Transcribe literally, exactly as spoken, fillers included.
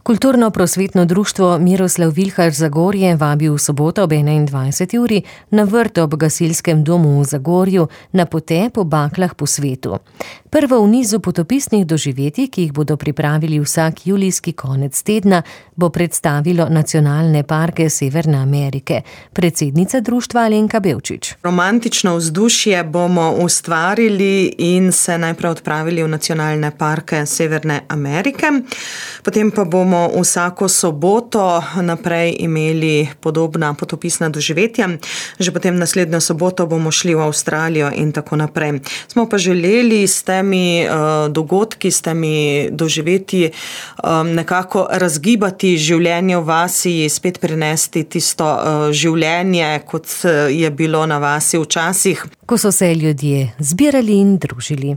Kulturno-prosvetno društvo Miroslav Vilhar Zagorje vabi v soboto ob enaindvajseti uri na vrt ob gasilskem domu v Zagorju na potep po baklah po svetu. Prvo v nizu potopisnih doživetij, ki jih bodo pripravili vsak julijski konec tedna, bo predstavilo nacionalne parke Severne Amerike. Predsednica društva Alenka Bevčič. Romantično vzdušje bomo ustvarili in se najprej odpravili v nacionalne parke Severne Amerike. Potem pa bomo vsako soboto naprej imeli podobna potopisna doživetja. Že potem naslednjo soboto bomo šli v Avstralijo in tako naprej. Smo pa želeli s temi uh, dogodki, s temi doživetji um, nekako razgibati življenje v vasi, spet prinesti tisto uh, življenje, kot je bilo na vasi včasih. Ko so se ljudje zbirali in družili.